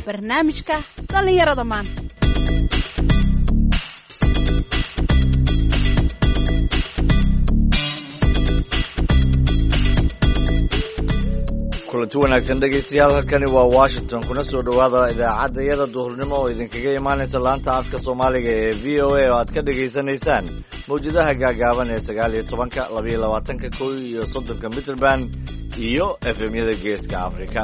Barnaamijka dhallinyarada maanta. Kulanti wanaagsan dhegaystayaal, halkani waa Washington. Kuna soo dhowaada idaacadda yada duhurnimo oo idinkaga imaanaysa laanta afka Soomaaliga ee VOA oo aad ka dhegaysanaysaan mawjadaha gaagaaban ee 19-ka, 22-ka, 31-ka mitrband iyo FM-yada Geeska Afrika.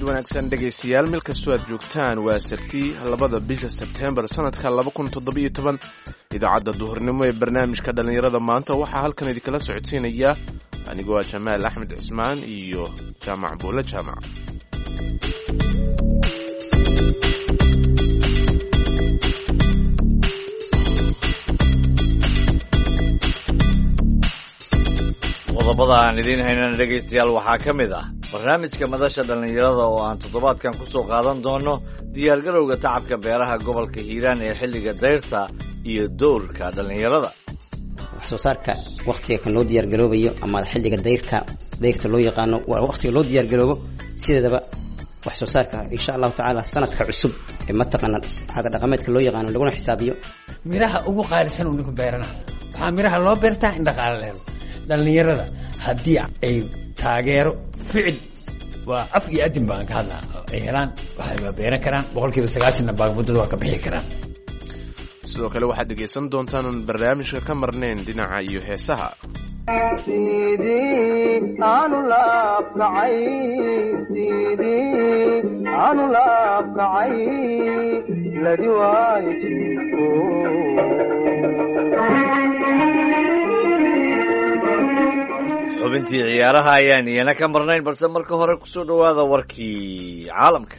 Wanaagsan dhegaystayaal, meel kastoo aad joogtaan, waa Sabti 2-da bisha Sebteembar sanadka 2017. Idaacadda duhurnimo ee barnaamijka dhallinyarada maanta waxaa halkan idinkala socodsiinaya anigoo ah Jamaal Axmed Cismaan iyo Jaamac Buule Jaamac. Qodobada aan idiin haynana dhegaystayaal waxaa ka mid ah barnaamijka madasha dhallinyarada oo aan toddobaadkan ku soo qaadan doono diyaargarowga tacabka beeraha gobolka Hiiraan ee xilliga dayrta iyo dowrka dhallinyarada. Wax soo saarka wakhtiga kan loo diyaargaroobayo ama xilliga dayrka, dayrta loo yaqaano, waa wakhtiga loo diyaargaroobo sideedaba wax soo saarka, insha Allahu tacaala, sanadka cusub ee mataqaana caada dhaqameedka loo yaqaano laguna xisaabiyo. Miraha ugu qaalisan uu ninku beerana, waxaa miraha loo beertaa in dhaqaale la helo. Dhallinyarada haddii ay taageero ficil, waa af iyo adin baan ka hadlaa, ay helaan, waxay beeran karaan 90%-na baagmuddada waa ka bixi karaan. Sidoo kale waxaad dhegaysan doontaan oon barnaamijka ka marnayn dhinaca iyo heesaha. Xubintii ciyaaraha ayaan iyana ka marnayn, balse marka hore kusoo dhowaada warkii caalamka.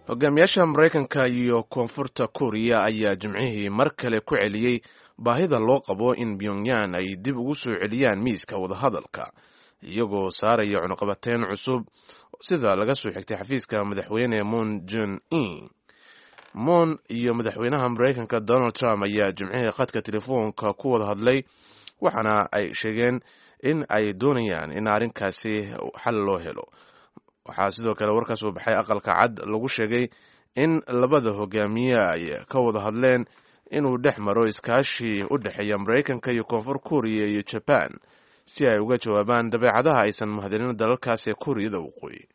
Hogaamiyaasha Maraykanka iyo Koonfurta Kuuriya ayaa Jimcihii mar kale ku celiyey baahida loo qabo in Pyongyang ay dib ugu soo celiyaan miiska wadahadalka, iyagoo saaraya cunuqabateyn cusub, sida laga soo xigtay xafiiska madaxweyne Moon Jun In. Moon iyo madaxweynaha Maraykanka Donald Trump ayaa Jimcihii khadka telefoonka ku wada hadlay, waxaana ay sheegeen in ay doonayaan in arrinkaasi xal loo helo. Waxaa sidoo kale warkaas uu baxay Aqalka Cad lagu sheegay in labada hogaamiye ay ka wada hadleen inuu dhex maro iskaashi u dhexeeya Maraykanka iyo Koonfur Kuuriya iyo Jaban si ay uga jawaabaan dabeecadaha aysan mahadinin dalalkaas ee Kuuriyada Waqooyi.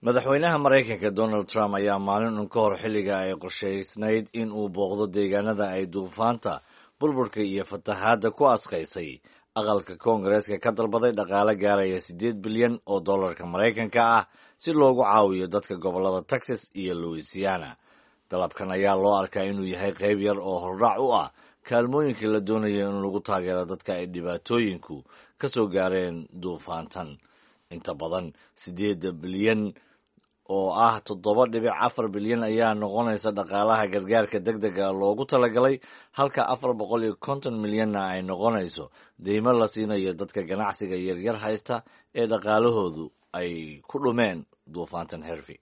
Madaxweynaha Maraykanka Donald Trump ayaa maalin un ka hor xilliga ay qorshaysnayd in uu booqdo deegaanada ay duufaanta burburka iyo fatahaadda ku asqaysay aqalka Koongareeska ka dalbaday dhaqaale gaaraya 8 bilyan oo dollarka Maraykanka ah si loogu caawiyo dadka gobollada Texas iyo Louisiana. Dalabkan ayaa loo arkaa inuu yahay qayb yar oo hordhac u ah kaalmooyinka la doonayo in lagu taageero dadka ay dhibaatooyinku ka soo gaareen duufaantan. Inta badan 8-da bilyan oo ah 7.4 bilyan ayaa noqonaysa dhaqaalaha gargaarka deg dega loogu talagalay, halka 450 milyanna ay noqonayso deymo la siinayo dadka ganacsiga yaryar haysta ee dhaqaalahoodu ay ku dhumeen duufaantan Hervey.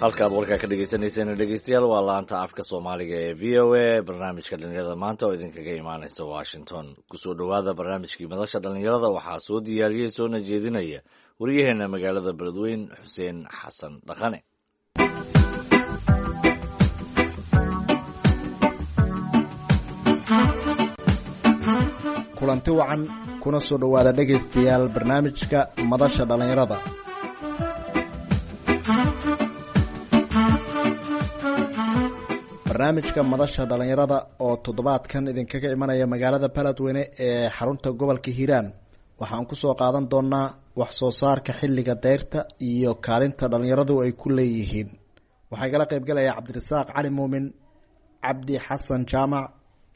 Halkaad warkaa ka dhegeysaneyseen dhegeystayaal waa laanta afka Soomaaliga ee VOA, barnaamijka dhallinyarada maanta oo idinkaga imaaneysa Washington. Kusoo dhowaada barnaamijkii madasha dhallinyarada. Waxaa soo diyaariyey soona jeedinaya waryaheena magaalada Beledweyn, Xuseen Xasan Dhaqane. Kulanti wacan, kuna soo dhowaada dhegaystayaal barnaamijka madasha dhallinyarada. Barnaamijka madasha dhallinyarada oo toddobaadkan idinkaga imanaya magaalada Beledweyne ee xarunta gobolka Hiiraan waxaan kusoo qaadan doonaa wax soo saarka xilliga dayrta iyo kaalinta dhallinyaradu ay ku leeyihiin. Waxaa igala qaybgalaya Cabdirasaaq Cali Muumin, Cabdi Xasan Jaamac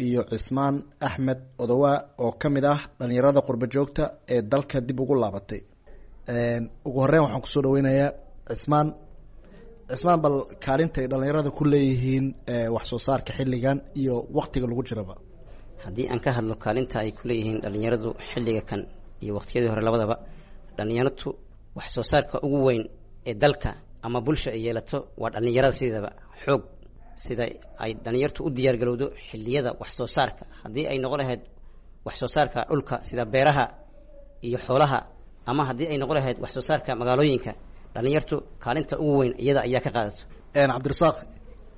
Iyo Cismaan Axmed Odowaa oo ka mid ah dhalinyarada qurba joogta ee dalka dib ugu laabatay. Ugu horeyn waxaan kusoo dhaweynayaa Cismaan. Cismaan, bal kaalinta ay dhalinyarada ku leeyihiin wax soo saarka xilligan iyo waktiga lagu jiraba. Haddii aan ka hadlo kaalinta ay ku leeyihiin dhalinyaradu xilliga kan iyo waqtiyadii hore labadaba, dhalinyaradu wax soo saarka ugu weyn ee dalka ama bulsha ay yeelato waa dhalinyarada. Sideedaba xoog sida ay dhalinyartu u diyaargarowdo xilliyada wax soo saarka, haddii ay noqon lahayd wax soo saarka dhulka sida beeraha iyo xoolaha, ama haddii ay noqon lahayd wax soo saarka magaalooyinka, dhalinyartu kaalinta ugu weyn iyada ayaa ka qaadato. Cabdirasaaq,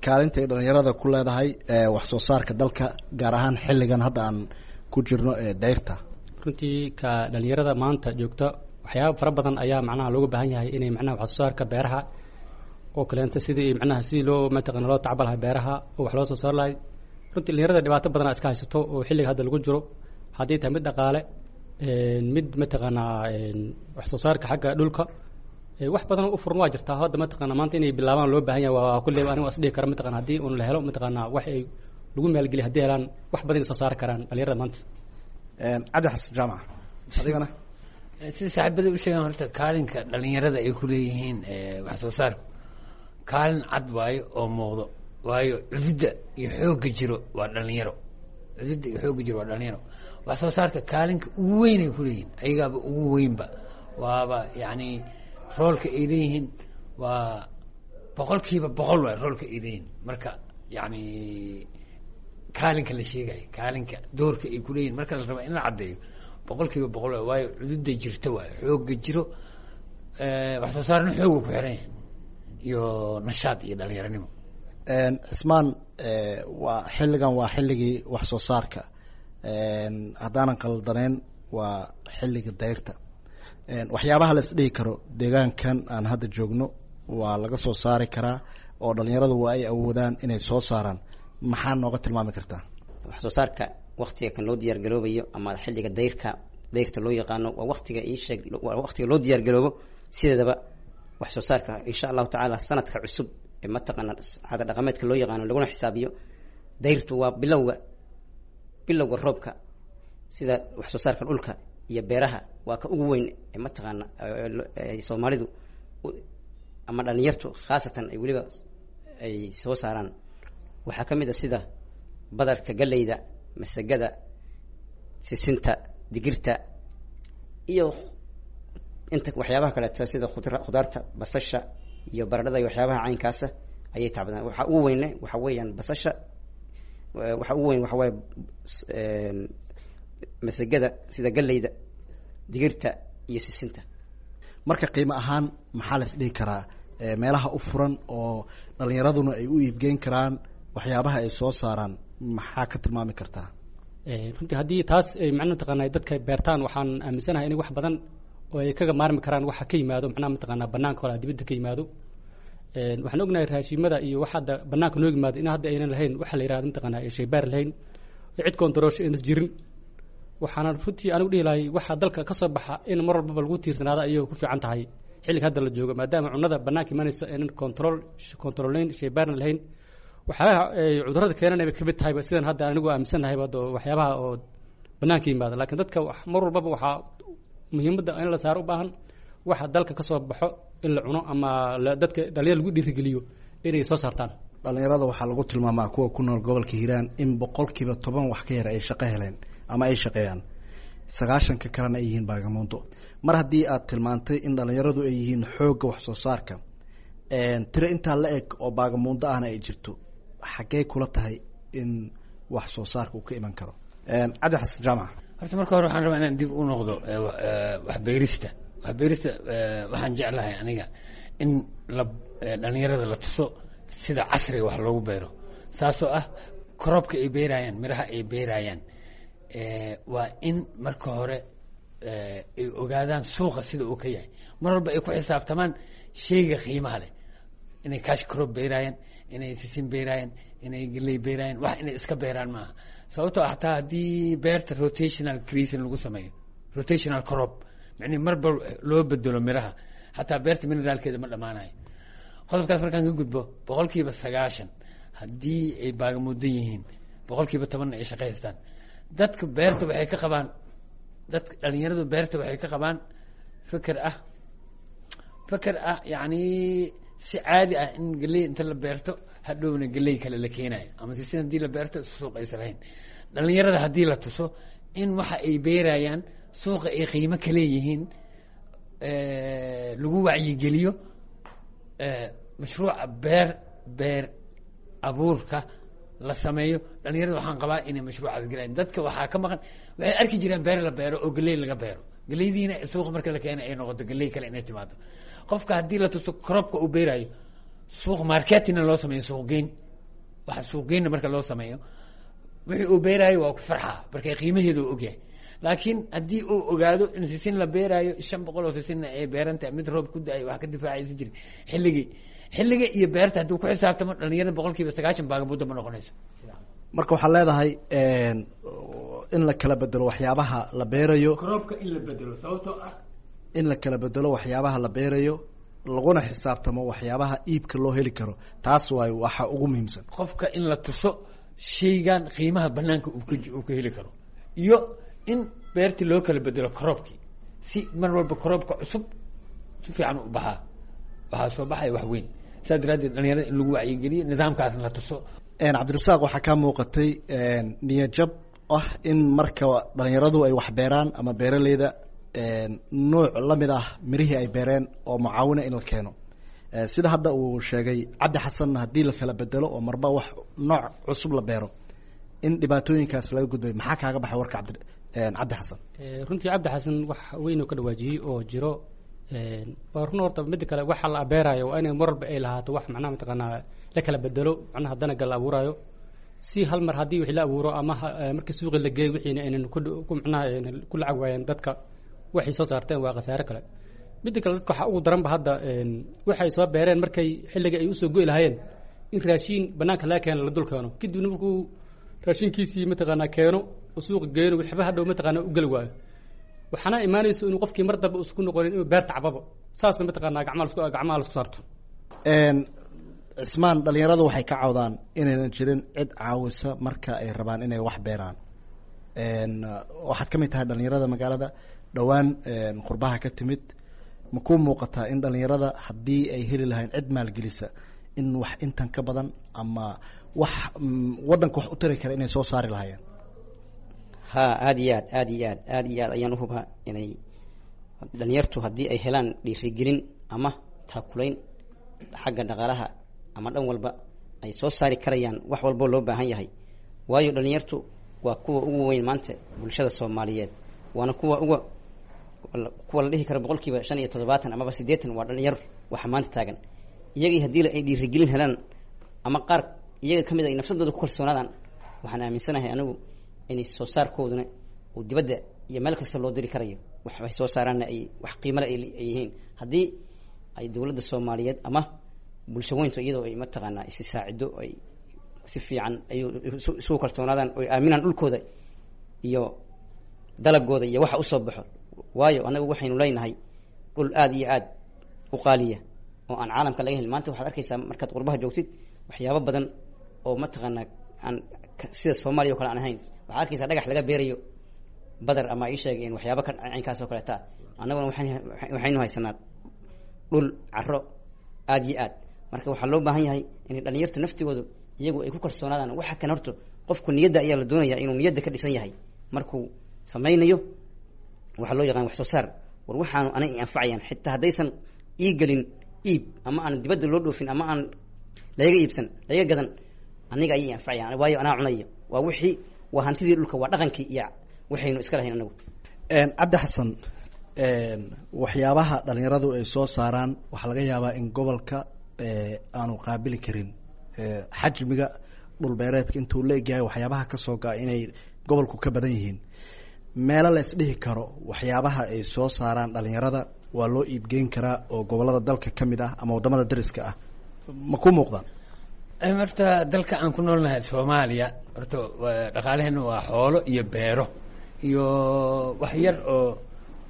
kaalinta ay dhalinyarada ku leedahay wax soo saarka dalka, gaar ahaan xilligan hadda aan ku jirno ee dayrta. Runtii ka dhalinyarada maanta joogta waxyaaba fara badan ayaa macnaha looga baahan yahay inay macnaha wax soo saarka beeraha oo kaleenta, sidii macnaha sidii loo mataqana loo tacba lahay beeraha oo wax loo soo saar lahay. Runtii dhalinyarada dhibaato badan iska haysato oo xilliga hadda lagu jiro, haddii tahay mid dhaqaale, mid mataqaanaa wax soo saarka xagga dhulka, wax badan u furan waa jirtaa. Hadda mataqana maanta inay bilaabaan loo baahan yahay waa kulley anigu as dhihi kara mataqana haddii un la helo mataqaanaa wax ay lagu maalgeliya, haddii helaan wax badan ay soo saari karaan dhalinyarada maanta. Cabdi Xasan Jaamac, adigana? Sida saaxiibada u sheegaan, horta kaalinka dhalinyarada ay ku leeyihiin wax soo saarku kaalin cad waayo oo muuqdo, waayo cududda iyo xoogga jiro waa dhalinyaro. Cududda iyo xoogga jiro waa dhalinyaro. Wax soo saarka kaalinka ugu weyn ay kuleeyihiin ayagaaba ugu weynba, waaba yacni roolka ay leeyihiin waa 100% waay roolka ay leeyihiin. Marka yacni kaalinka la sheegayo, kaalinka doorka ay kuleeyihin marka la raba in la caddeeyo, 100% waay, waayo cududda jirta waayo xoogga jiro. Wax soo saarna xooga ku xiran yahay iyo nashaad iyo dhalinyaranimo. Cismaan, waa xilligan waa xilligii wax soo saarka, haddaanan qaldaneyn waa xilliga dayrta. Waxyaabaha la isdhihi karo deegaankan aan hadda joogno waa laga soo saari karaa oo dhalinyaradu waa ay awoodaan inay soo saaraan, maxaa nooga tilmaami kartaa? Wax soo saarka waktiga kan loo diyaargaroobayo ama xilliga dayrka dayrta loo yaqaano waa waktiga ii sheeg waa waktiga loo diyaargaroobo. Sideedaba wax soo saarka insha allahu tacaala sanadka cusub ee mataqaana caada dhaqameedka loo yaqaano laguna xisaabiyo, dayrtu waa bilowga roobka. Sida wax soo saarka dhulka iyo beeraha waa ka ugu weyn ee mataqaana ay Soomaalidu ama dhalinyartu khaasatan ay weliba ay soo saaraan. Waxaa ka mid a sida badarka, galleyda, masagada, sisinta, digirta iyo inta waxyaabaha kaleeto sida khudaarta, basasha iyo baradhada iyo waxyaabaha caynkaasa ayay tacbadaan. Waxaa ugu weyne waxa weeyaan basasha, waxaa ugu weyn waxa waaye masagada sida galleyda, digirta iyo sisinta. Marka qiimo ahaan maxaa la isdhihi karaa meelaha u furan oo dhalinyaraduna ay u iibgeyn karaan waxyaabaha ay soo saaraan, maxaa ka tilmaami kartaa? Runtii haddii taas ay macnaha mataqaana dadka beertaan, waxaan aaminsanahay inay wax badan oo ay kaga maarmi karaan waxa ka yimaado macnaha mataqaanaa banaanka hore dibadda ka yimaado. Waxaan ognahay raashiimada iyo waxa hadda banaanka noo yimaado in hadda aynan lahayn waxa la yihahdo mataqaanaa shaybaar lahayn, cid koontaroosho aynan jirin. Waxaana runtii anigu dhihi lahay waxa dalka ka soo baxa in mar walbaba lagu tiirsanaado ayay ku fiican tahay xilliga hadda la joogo, maadaama cunada banaanka imanaysa aynan control controlayn, shaybaarna lahayn, waxyaabaha ay cudurrada keenanay bay kamid tahayba sidan hadda anigu aaminsanahay hadda waxyaabaha oo banaanka yimaada. Laakiin dadka mar walbaba waxaa muhiimadda in la saaro u baahan waxa dalka ka soo baxo in la cuno ama dadka dhalinyar lagu dhiirigeliyo inay soo saartaan. Dhalinyarada waxaa lagu tilmaamaa kuwa ku nool gobolka Hiiraan in 10% wax ka yar ay shaqo heleen ama ay shaqeeyaan, 90-ka kalena ay yihiin baagamuundo. Mar haddii aad tilmaantay in dhalinyaradu ay yihiin xoogga wax soo saarka, tiro intaa la eg oo baagamuundo ahna ay jirto, xaggee kula tahay in wax soo saarka uu ka iman karo? Cabdi Xasan Jaamac. Horta marka hore waxaan rabaa inaan dib u noqdo waxbeerista. Waxbeerista waxaan jeclahay aniga in la dhalinyarada la tuso sida casriga wax loogu beero, saasoo ah kroobka ay beerayaan, miraha ay beerayaan, waa in marka hore ay ogaadaan suuqa sida uu ka yahay, mar walba ay ku xisaabtamaan shayga qiimaha leh, inay cash crop beerayaan, inay sisin beerayaan, inay geley beerayaan, wax inay iska beeraan maaha. Sababtoo xataa haddii beerta rotational creation lagu sameeyo, rotational crop micnihi marba loo bedelo miraha, xataa beerta mineraalkeeda ma dhammaanayo. Qodobkaas markaan ka gudbo, 90% haddii ay baagamudan yihiin 10% ay shaqaystaan. Dadka beerta waxay ka qabaan, dadka dhalinyaradu beerta waxay ka qabaan fikir ah yacni si caadi ah in geley inta la beerto hadhowna geley kale la keenayo, ama sisin haddii la beerto suuq aysan lahayn. Dhalinyarada haddii la tuso in waxa ay beerayaan suuqa ay qiimo ka leeyihiin, lagu wacyigeliyo, mashruuca beer abuurka la sameeyo, dhalinyarada waxaan qabaa inay mashruucaas galaan. Dadka waxaa ka maqan, waxay arki jireen beer la beero oo geley laga beero, geleydiina suuqa marka la keena ay noqoto geley kale inay timaado. Qofka haddii la tuso cropka uu beerayo, suuq marketingna loo sameeyo, suuq geyn, waxa suuq geynna marka loo sameeyo, wixii uu beeraayo waa ku farxaa marka qiimaheeda uu ogyahay. Laakiin haddii uu ogaado in sisin la beeraayo, 500 oo sisinna ay beeran tahay, mid roob ku da-ay wax ka difaacaysa jirin, xilligii xilliga iyo beerta hadduu ku xisaabtamo, dhalinyarada 90% baagamuda ma noqonayso. Marka waxaad leedahay in la kala bedelo waxyaabaha la beerayo. Cropka in la bedelo, sababtoo ah In la kala bedelo waxyaabaha la beerayo, laguna xisaabtamo waxyaabaha iibka loo heli karo, taas waayo waxa ugu muhiimsan. Qofka in la tuso shaygan qiimaha banaanka uu ka heli karo, iyo in beertii loo kala bedelo cropkii, si mar walba cropka cusub si fiican u baxaa, waxaa soo baxaya wax weyn. Saas daraaddeed dhalinyarada in lagu wacyigeliyo, nidaamkaasna la tuso. Cabdirasaaq, waxaa kaa muuqatay niyadjab ah in marka dhalinyaradu ay wax beeraan ama beeraleyda nuuc lamid ah mirihii ay beereen oo mucaawina in la keeno, sida hadda uu sheegay Cabdi Xasanna, haddii la kala bedelo oo marba wax nooc cusub la beero in dhibaatooyinkaas laga gudbay. Maxaa kaaga baxay warka Cabdi Xasan? Runtii Cabdi Xasan wax weyn oo ka dhawaajiyey oo jiro waa run. Horta midda kale, waxa la abeerayo waa inay mar walba ay lahaato wax macnaha mataqaanaa la kala bedelo, macnaha danaga la abuurayo, si hal mar haddii wixii la abuuro ama markii suuqi la geeyo wixiina aynan ku macnaha aynan ku lacag waayeen dadka waxay soo saarteen, waa khasaare kale. Midda kale, dadka waxaa ugu daranba hadda waxay soo beereen markay xilliga ay usoo go'i lahaayeen in raashiin banaanka laga keeno, la dul keeno, kadibna markuu raashinkiisii mataqaanaa keeno oo suuqa geeno, waxba hadhow mataqaanaa u geli waayo. Waxaana imaanayso inuu qofkii mar dambe isku noqonin inuu beerta cababo, saasna mataqaanaa gacmaha lasku saarto. Cismaan, dhalinyaradu waxay ka cawdaan inaynan jirin cid caawisa marka ay rabaan inay wax beeraan. Waxaad ka mid tahay dhalinyarada magaalada dhowaan qurbaha ka timid. Ma kuu muuqataa in dhalinyarada haddii ay heli lahayn cid maalgelisa in wax intan ka badan ama wax waddanka wax u tari kara inay soo saari lahaayeen? Ha, aada iyo aad, aada iyo aad, aada iyo aad ayaan uhubaa inay dhalinyartu haddii ay helaan dhiirigelin ama taakulayn xagga dhaqaalaha ama dhan walba ay soo saari karayaan wax walboo loo baahan yahay. Waayo dhalinyartu waa kuwa ugu weyn maanta bulshada Soomaaliyeed, waana kuwa uga kuwa la dhihi karo 75% amaba 80 waa dhalinyar. Waxa maanta taagan iyagii haddii ay dhiirigelin helaan ama qaar iyaga kamid ay nafsadooda ku kalsoonaadaan, waxaan aaminsanahay anigu inay soo saarkooduna uu dibadda iyo meel kasta loo diri karayo, wax ay soo saaraanna ay wax qiimale ay yihiin, haddii ay dowladda Soomaaliyeed ama bulsho weyntu iyadoo ay mataqaanaa isi saacido, ay si fiican ay isugu kalsoonaadaan oy aaminaan dhulkooda iyo dalagooda iyo waxa usoo baxo. Waayo annagu waxaynu leenahay dhul aada iyo aada u qaaliya oo aan caalamka laga helin. Maanta waxaad arkaysaa markaad qurbaha joogtid waxyaabo badan oo mataqaanaa aan sida Soomaaliya o kale aan ahayn. Waxaad arkaysaa dhagax laga beerayo badar ama ii sheegeen waxyaaba ka caynkaas oo kaleeta. Annaguna waxaynu haysanaa dhul caro aada iyo aad. Marka waxaa loo baahan yahay inay dhalinyartu naftigoodu iyagu ay ku kalsoonaadaan. Waxa kan horta qofku niyadda ayaa la doonaya inuu niyadda ka dhisan yahay markuu samaynayo waxaa loo yaqaan wax soo saar. War waxaanu anay i anfacayaan, xitaa haddaysan ii gelin iib ama aan dibadda loo dhoofin ama aan laga iibsan laga gadan, aniga ayay anfacayaan, waayo anaa cunayo. Waa wixii, waa hantidii dhulka, waa dhaqankii iyo waxaynu iska lahayn anagu. Cabdi Xasan, waxyaabaha dhalinyaradu ay soo saaraan waxaa laga yaabaa in gobolka aanu qaabili karin, xajmiga dhulbeereedka intuu la egyahay waxyaabaha kasoo ga-a inay gobolku ka badan yihiin. Meelo la isdhihi karo waxyaabaha ay soo saaraan dhalinyarada waa loo iibgeyn karaa oo gobolada dalka ka mid ah ama waddamada dariska ah, ma ku muuqdaan? Horta dalka aan ku noolnahay Soomaaliya, horta dhaqaalaheena waa xoolo iyo beero iyo wax yar oo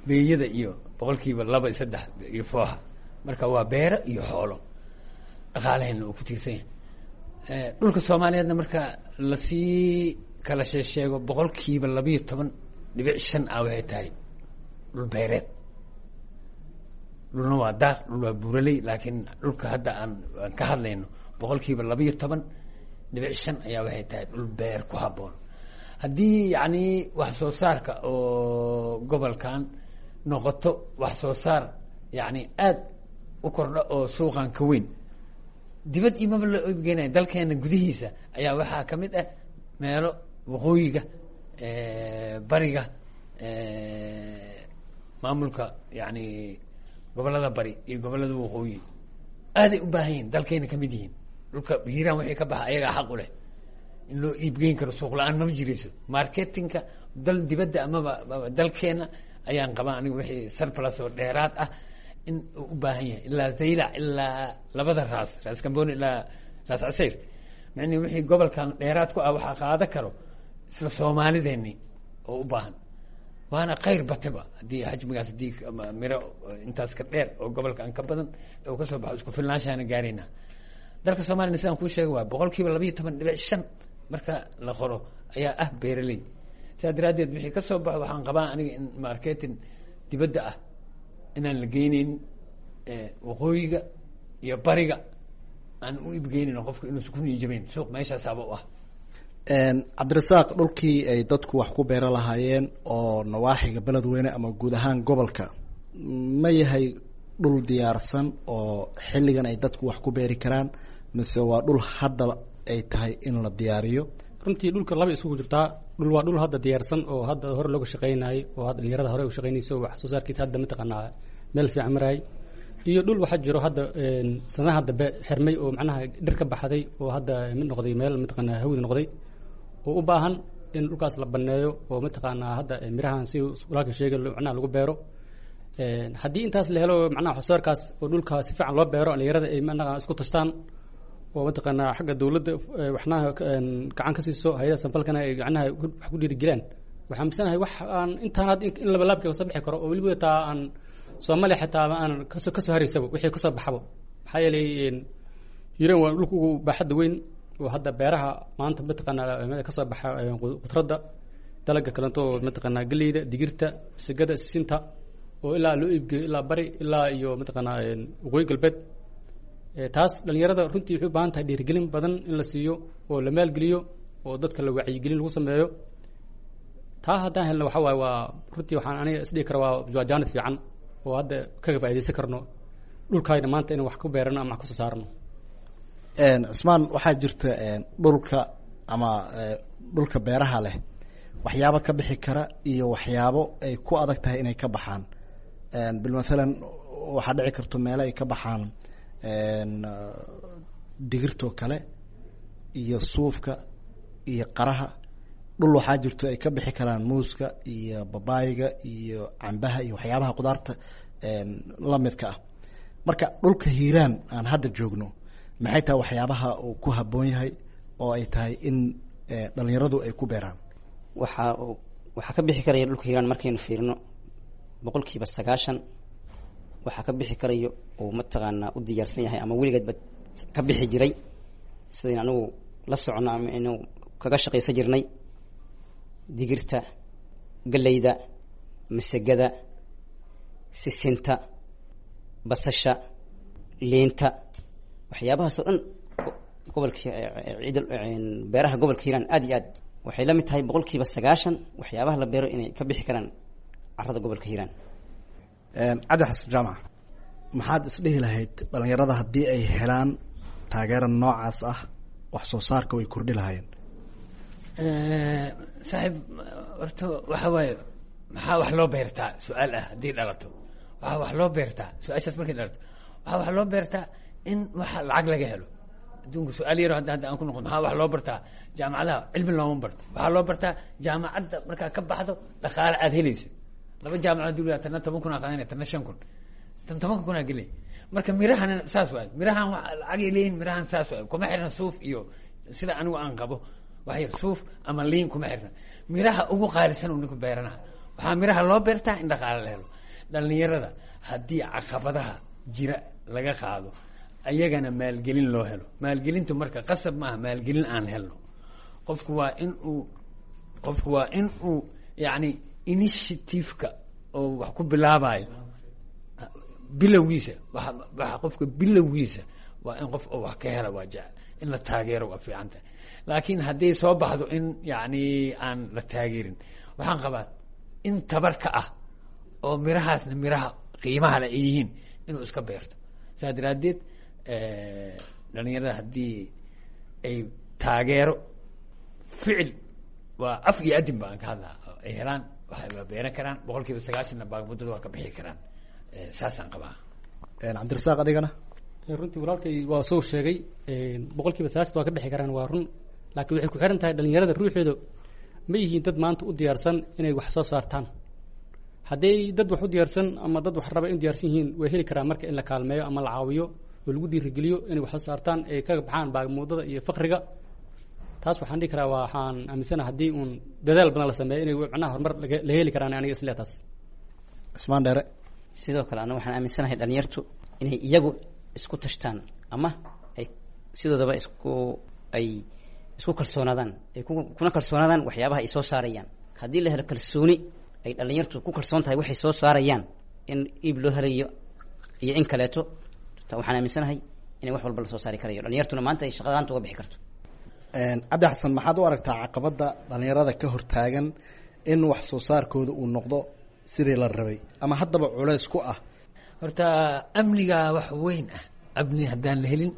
beeyada iyo 2% iyo 3 iyo fooha. Marka waa beero iyo xoolo dhaqaalaheena uu ku tiirsan yahay. Dhulka Soomaaliyeedna marka lasii kala sheesheego, 12.5% ah waxay tahay dhul beereed. Dhulna waa daaq, dhul waa buuraley, laakiin dhulka hadda aan ka hadlayno 12.5% ayaa waxay tahay dhul beer ku habboon. Haddii yacni wax soo saarka oo gobolkan noqoto wax soo saar yacni aada u kordha oo suuqan ka weyn, dibad imaba la iibgeynaya, dalkeena gudihiisa ayaa waxaa ka mid ah meelo waqooyiga, bariga, maamulka yacni gobolada bari iyo gobolada waqooyi aaday u baahan yihin, dalkayna kamid yihiin. Dhulka Hiiraan wixii ka baxa ayagaa xaq u leh in loo iibgeyn karo. Suuq la-aan mama jirayso marketingka dal dibadda amaba dalkeena ayaan qabaa aniga wixii surplus oo dheeraad ah in uu u baahan yahay, ilaa Zaylac, ilaa labada raas, Raas Kamboni ilaa Raas Casayr. Macnii wixii gobolkan dheeraad ku ah waxaa qaada karo isla Soomaalideeni oo u baahan, waana khayr bataba haddii xajmigaas, haddii miro intaas ka dheer oo gobolkan ka badan oo kasoo baxo, isku filnaanshaana gaaraynaa. Dalka Soomaaliyana sidaan kuu sheegay waa 12.5% marka la qoro ayaa ah beeraley. Sidaa daraaddeed wixii ka soo baxo waxaan qabaa aniga in marketing dibadda ah inaan la geyneyn, waqooyiga iyo bariga aan u iibgeynin, qofka inuusan ku niijabeyn suuq meeshaasaaba u ah. Cabdirasaaq, dhulkii ay dadku wax ku beera lahaayeen oo nawaaxiga Beledweyne ama guud ahaan gobolka ma yahay dhul diyaarsan oo xilligan ay dadku wax ku beeri karaan, mise waa dhul hadda ay tahay in la diyaariyo? Runtii dhulka laba isugu jirtaa. Dhul waa dhul hadda diyaarsan oo hadda hore looga shaqeynayay oo hadda dhalinyarada hore u shaqeynaysa oo wax soo saarkiisa hadda mataqaanaa meel fiican marayay, iyo dhul waxaa jiro hadda sanadaha dambe xirmay oo macnaha dhir ka baxday oo hadda mid noqday meel mataqaanaa hawd noqday oo u baahan in dhulkaas la baneeyo oo mataqaanaa hadda mirahan si walaalka sheegay macnaha lagu beero. Haddii intaas la helo, macnaha wax soo saarkaas oo dhulka si fiican loo beero, dhalinyarada ay macnaha isku tashtaan oo mataqaanaa xagga dawladda waxnaha gacan ka siiso, hay-adaha samfalkana ay gacnaha wax ku dhiirigelaan, waxaan misanahay wax aan intaan hadda in labalaabka kasoo bixi karo oo weliba taa aan Soomaaliya xitaa aan kasoo haraysaba wixii kasoo baxabo. Maxaa yeelay Hiiraan waa dhulka ugu baaxadda weyn oo hadda beeraha maanta mataqaanaa kasoo baxa khudradda, dalaga kaleeto oo mataqaanaa galleyda, digirta, masagada, sisinta oo ilaa loo iibgeeyo ilaa bari ilaa iyo mataqaanaa waqooyi galbeed. Taas dhalinyarada runtii waxay u baahan tahay dhiirigelin badan in la siiyo oo la maalgeliyo oo dadka la wacyigelin lagu sameeyo. Taa haddaan helno waxa waaye waa runtii waxaan aniga isdhihi kara waa jaanis fiican oo hadda kaga faa'iidaysan karno dhulkaayna maanta inaan wax ku beerano ama wax kusoo saarno. Cismaan, waxaa jirta dhulka ama dhulka beeraha leh waxyaabo ka bixi kara iyo waxyaabo ay ku adag tahay inay ka baxaan. Bilmathalan waxaa dhici karto meelo ay ka baxaan digirtoo kale iyo suufka iyo qaraha, dhul waxaa jirto ay ka bixi karaan muuska iyo babaayga iyo cambaha iyo waxyaabaha qudaarta lamidka ah. Marka dhulka Hiiraan aan hadda joogno maxay tahay waxyaabaha uu ku habboon yahay oo ay tahay in dhalinyaradu ay ku beeraan? Waxaa ka bixi karaya dhulka Hiiraan markaynu fiirino 90% waxaa ka bixi karayo uu mataqaanaa u diyaarsan yahay ama weligeedba ka bixi jiray sidayn anigu la socono ama aynu kaga shaqaysan jirnay: digirta, galleyda, masagada, sisinta, basasha, liinta. Waxyaabahaas oo dhan gobolka ciid beeraha gobolka Hiiraan aad iyo aad waxay la mid tahay 90% waxyaabaha la beero inay ka bixi karaan carrada gobolka Hiiraan. Cabdi Xasan Jaamac, maxaad isdhihi lahayd dhalinyarada haddii ay helaan taageera noocaas ah wax soo saarka way kordhi lahaayeen? Saaxiib, horta waxa waaye maxaa wax loo beertaa su-aal ah haddii dhalato. Waxaa wax loo beertaa su-aashaas markay dhalato, waxaa wax loo beertaa in waxa lacag laga helo adduunka. Su-aal yaro hadda aan ku noqon, maxaa wax loo bartaa jaamacadaha? Cilmi looma barto. Waxaa loo bartaa jaamacadda markaa ka baxdo dhaqaale aada helayso. Laba jaamacad duniya, tanna 10,000 aa qaadanaya, tanna 5,000, tan 10,000 aa gelay. Marka mirahan saas waay, mirahan wa lacagay leeyihin. Mirahan saas waay, kuma xirna suuf iyo sida anigu aan qabo wax yar suuf ama liin kuma xirna. Miraha ugu qaalisan uu ninku beeranaha, waxaa miraha loo beertaa in dhaqaale la helo. Dhalinyarada haddii caqabadaha jira laga qaado, Ayagana maalgelin loo helo. Maalgelintu marka qasab maaha, maalgelin aan helno. Qofku waa in uu yacni initiative-ka oo wax ku bilaabayo bilowgiisa, waxa qofka bilowgiisa waa in qof oo wax ka hela, waa jecel in la taageero, waa fiican tahay. Laakiin hadday soo baxdo in yacni aan la taageerin, waxaan qabaa in tabar ka ah oo mirahaasna miraha qiimaha le ay yihiin inuu iska beerto. Saas daraaddeed dhalinyarada haddii ay taageero ficil, waa af iyo adin ba aan ka hadlaa, ay helaan, waxay waa beeran karaan, 90%-na baagmuddada waa ka bixi karaan. Saasaan qabaa. Cabdirasaaq, adigana? Runtii walaalkay waa soo sheegay, 90% waa ka bixi karaan, waa run. Laakiin waxay ku xiran tahay dhalinyarada ruuxooda, ma yihiin dad maanta u diyaarsan inay wax soo saartaan? Hadday dad wax u diyaarsan ama dad wax raba in diyaarsan yihiin, way heli karaan. Marka in la kaalmeeyo ama la caawiyo oo lagu dhiirigeliyo inay wax soo saartaan, ay kaga baxaan baagmuudada iyo faqriga, taas waxaan dhihi karaa, waxaan aaminsanaha haddii uun dadaal badan la sameeyo inay macnaha horumar la heli karaan, aniga islee taas. Cismaan Dheere. Sidoo kale ana waxaan aaminsanahay dhalinyartu inay iyagu isku tashtaan ama ay sidoodaba isku ay isku kalsoonaadaan, ay kuna kalsoonaadaan waxyaabaha ay soo saarayaan. Haddii la helo kalsooni ay dhalinyartu ku kalsoon tahay waxay soo saarayaan in iib loo helayo iyo in kaleeto, waxaan aaminsanahay inay wax walba lasoo saari karayo, dhalinyartuna maanta ay shaqadaanta uga bixi karto. Cabdi Xasan, maxaad u aragtaa caqabadda dhalinyarada ka hortaagan in wax soo saarkooda uu noqdo sidii la rabay ama haddaba culeys ku ah? Horta amniga wax weyn ah. Amni haddaan la helin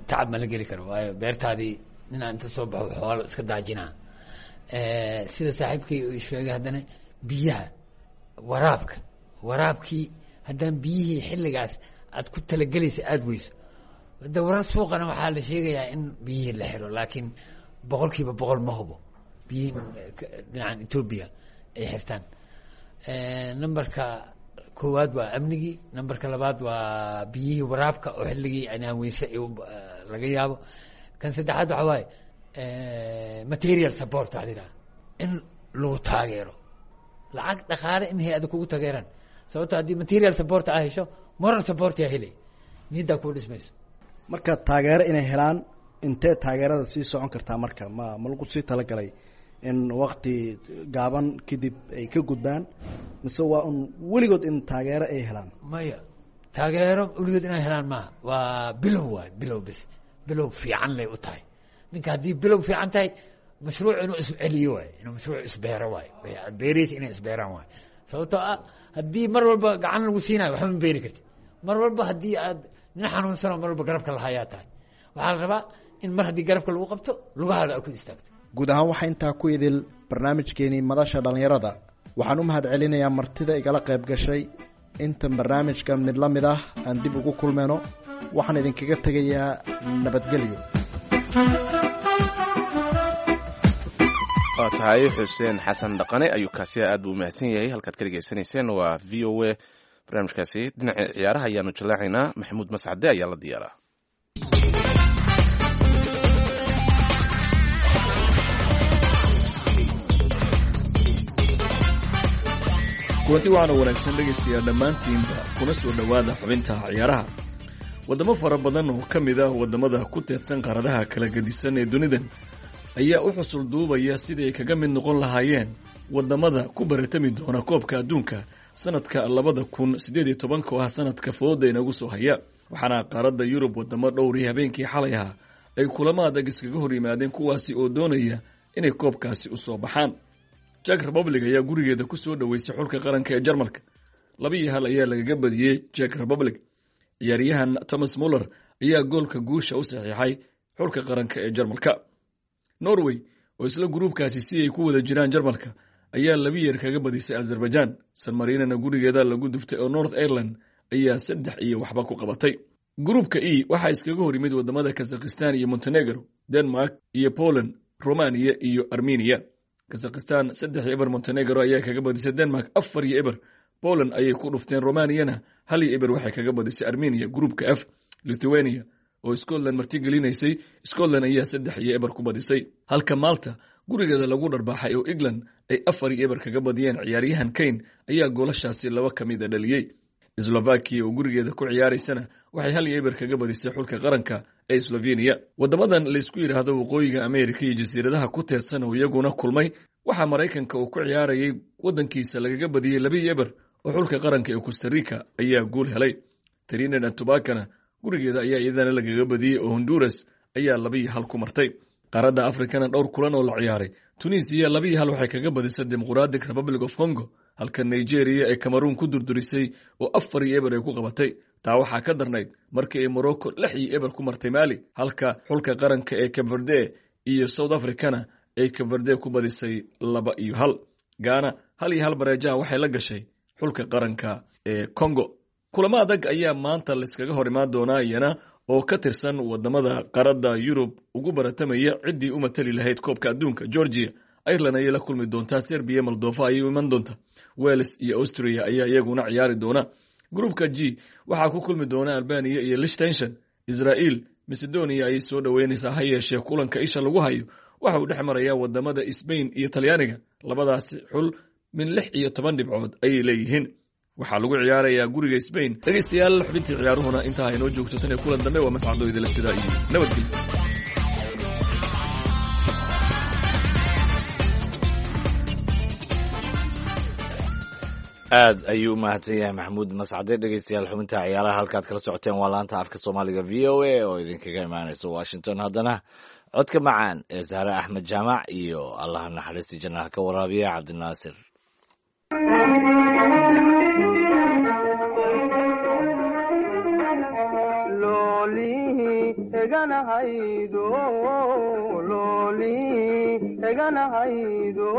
tacab ma la geli karo, waayo beertaadii ninaa inta soo baxo xoolo iska daajinaa. Sida saaxiibkay uu sheegay, haddana biyaha waraabka, waraabkii haddaan biyihii xilligaas aad ku talagelaysa aada weyso, de warar suuqana waxaa la sheegayaa in biyihii la xiro, laakiin 100% ma hubo biyihii dhinacan Etoobiya ay xirtaan. Numberka koowaad waa amnigii, numberka labaad waa biyihii waraabka oo xilligii inaan weyse laga yaabo. Kan saddexaad waxa waaye material support, waxa la yidhaha in lagu taageero lacag, dhaqaale, in hay-ada kugu taageeraan. Sababto haddii material support aa hesho, moral support yaa helay, niyaddaa kuu dhismayso. Marka taageero inay helaan, intee taageerada sii socon kartaa? Marka ma lagu sii talagalay in wakti gaaban kadib ay ka gudbaan, mise waa un weligood in taageero ay helaan? Maya, taageero weligood inay helaan maaha. Waa bilow, waay bilow bis, bilow fiican lay u tahay ninka. Haddii bilow fiican tahay, mashruuc inuu isceliyo waay, inuu mashruuc isbeero waay, beerihiis inay isbeeraan waay. Sababtoo ah haddii mar walba gacan lagu siinayo, waxba ma beeri karti. Mar walba haddii aad nin xanuunsanoo mar walba garabka lahayaa tahay, waxaa la rabaa in mar haddii garabka lagu qabto, lugahaada aad ku istaagto. Guud ahaan waxaa intaa ku idil barnaamijkeenii Madasha Dhallinyarada. Waxaan u mahad celinayaa martida igala qayb gashay. Intan barnaamijkan mid la mid ah aan dib ugu kulmayno, waxaan idinkaga tegayaa nabadgelyo. Waa tahay, Xuseen Xasan Dhaqane ayuu kaasi, aad buu umahadsan yahay. Halkaad ka dhegeysanayseen waa VOA. Barnaamijkaasi dhinaca ciyaaraha ayaanu jallaacaynaa. Maxamuud Mascade ayaa la diyaaraa. Kulanti waxaana wanaagsan dhegaystayaal dhammaantiinba, kuna soo dhowaada xubinta ciyaaraha. Waddamo fara badan oo ka mid ah waddamada ku teedsan qaaradaha kala gedisan ee dunidan ayaa u xusul duubaya sidii ay kaga mid noqon lahaayeen waddamada ku baratami doona koobka adduunka sanadka 2018-ka, oo ah sanadka fooda inagu soo haya. Waxaana qaaradda Yurub waddamo dhowrii habeenkii xalay ahaa ay kulamo adag iskaga hor yimaadeen, kuwaasi oo doonaya inay koobkaasi u soo baxaan. Czech Republic ayaa gurigeeda ku soo dhoweysay xulka qaranka ee Jarmalka. 2-1 ayaa lagaga badiyey Czech Republic. Ciyaaryahan Thomas Muller ayaa goolka guusha u saxiixay xulka qaranka ee Jarmalka. Norway oo isla gruubkaasi si ay ku wada jiraan Jarmalka ayaa 2 yeer kaga badisay Azerbaijan. San Marinana gurigeeda lagu duftay oo North Ireland ayaa 3-0 ku qabatay. Gruubka E waxaa iskaga hor yimid wadamada Kazakhistan iyo Montenegro, Denmark iyo Poland, Romania iyo Armenia. Kazakhistan 3-0 Montenegro ayaa kaga badisay. Denmark 4-0 Poland ayay ku dhufteen. Romaniyana 1-0 waxay kaga badisay Armenia. Gruupka F, Lithuania oo Scotland martigelinaysay, Scotland ayaa 3-0 ku badisay, halka Malta gurigeeda lagu dharbaaxay oo England ay 4-0 kaga badiyeen. Ciyaaryahan Kane ayaa goolashaasi laba ka mida dhaliyey. Slovakia oo gurigeeda ku ciyaaraysana waxay 1-0 kaga badisay xulka qaranka ee Slovenia. Waddamadan laysku yidhaahdo Waqooyiga Amerika iyo jasiiradaha ku teedsan oo iyaguna kulmay, waxaa Maraykanka uu ku ciyaarayay waddankiisa lagaga badiyey 2-0 oo xulka qaranka ee Costa Rica ayaa guul helay. Trinidad and Tobacona gurigeeda ayaa iyadana lagaga badiyey oo Honduras ayaa 2-1 ku martay. Qaaradda Afrikana dhowr kulan oo la ciyaaray, Tunisiya 2-1 waxay kaga badisay Democratic Republic of Congo, halka Nigeria ay Cameroon ku durdurisay oo 4-0 ay ku qabatay. Taa waxaa ka darnayd markii ay Morocco 6-0 ku martay Mali, halka xulka qaranka ee Cape Verde iyo South Africana ay Cape Verde ku badisay 2-1. Ghana 1-1 bareejaha waxay la gashay xulka qaranka ee Congo. Kulamo adag ayaa maanta layskaga hor imaan doonaa iyana oo ka tirsan wadamada qaaradda Yurub ugu baratamaya ciddii u matali lahayd koobka adduunka. Georgia Ireland ayay la kulmi doontaa, Serbia Moldova ayay u iman doontaa, Wales iyo Austria ayaa iyaguna ciyaari doona. Gruupka G waxaa ku kulmi doona Albania iyo Liechtenstein. Israel Macedonia ayay soo dhoweynaysaa, ha yeeshee kulanka isha lagu hayo waxa uu dhex marayaa wadamada Spain iyo Talyaaniga. Labadaasi xul min 16 dhibcood ayay leeyihiin, waxaa lagu ciyaarayaa guriga Spain. Dhegaystayaal, xubintii ciyaaruhuna intaa haynoo joogto. Tan iyo kulan dambe, waa mascado idila sidaa iyo nabadgelyo. Aad ayuu u mahadsan yahay Maxamuud Mascade. Dhegeystayaal, xubinta ciyaaraha halkaad kala socoteen waa laanta afka Soomaaliga VOA oo idinkaga imaaneysa Washington. Haddana codka macaan ee Sahre Axmed Jaamac iyo Allaha naxariista jannaha ka waraabiya Cabdinaasir. Eganahaydo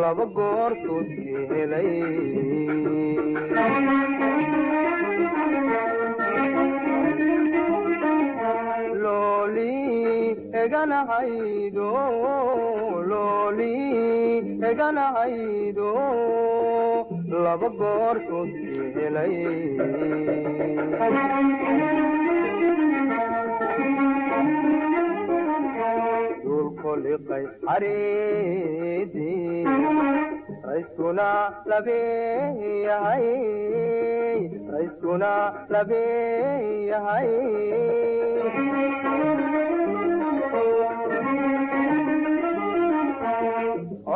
laba goortood helay. Looli eganahaydo, looli eganahaydo laba goortood helay. Duulkoliqay xariidii rayskuna labeeyahay, rayskuna labeeyahay.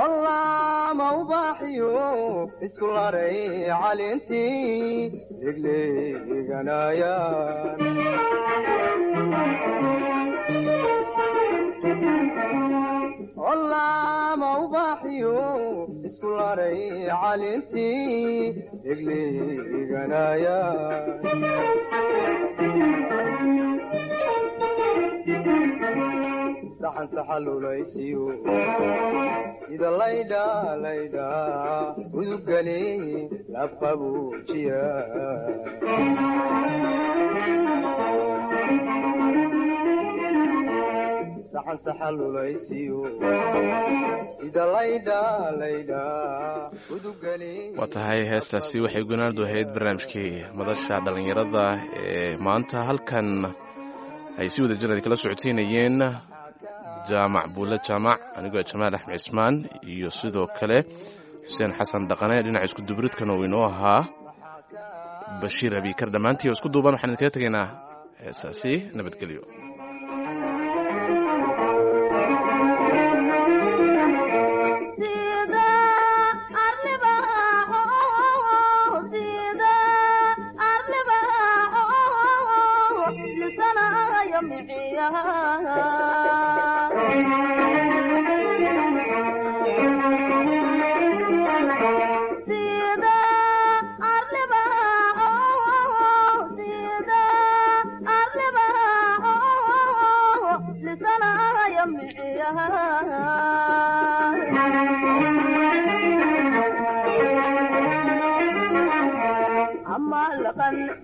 Olaama ubaaxiyo isku laray calintii degleeganayaan. Olaama ubaaxiyo isku laray calintii degleeganaya. Saxan saxalulaysiyo sida laydha laydha uduggali labqabuujiya. Saxan saxalulaysiyo sida laydha laydha uduggali. Waa tahay, heestaasi waxay gunaandu ahayd barnaamijkii madasha dhallinyarada ee maanta. Halkan ay si wada jiraan kala socodsiinayeen Jaamac Buule Jaamac, anigoo Jamaal Axmed Cismaan iyo sidoo kale Xuseen Xasan Dhaqane. Dhinaca isku dubridkan uu inoo ahaa Bashiir Abiikar. Dhammaantii oo isku duuban waxaan idinkaga tegaynaa heestaasi. Nabadgelyo.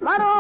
Maro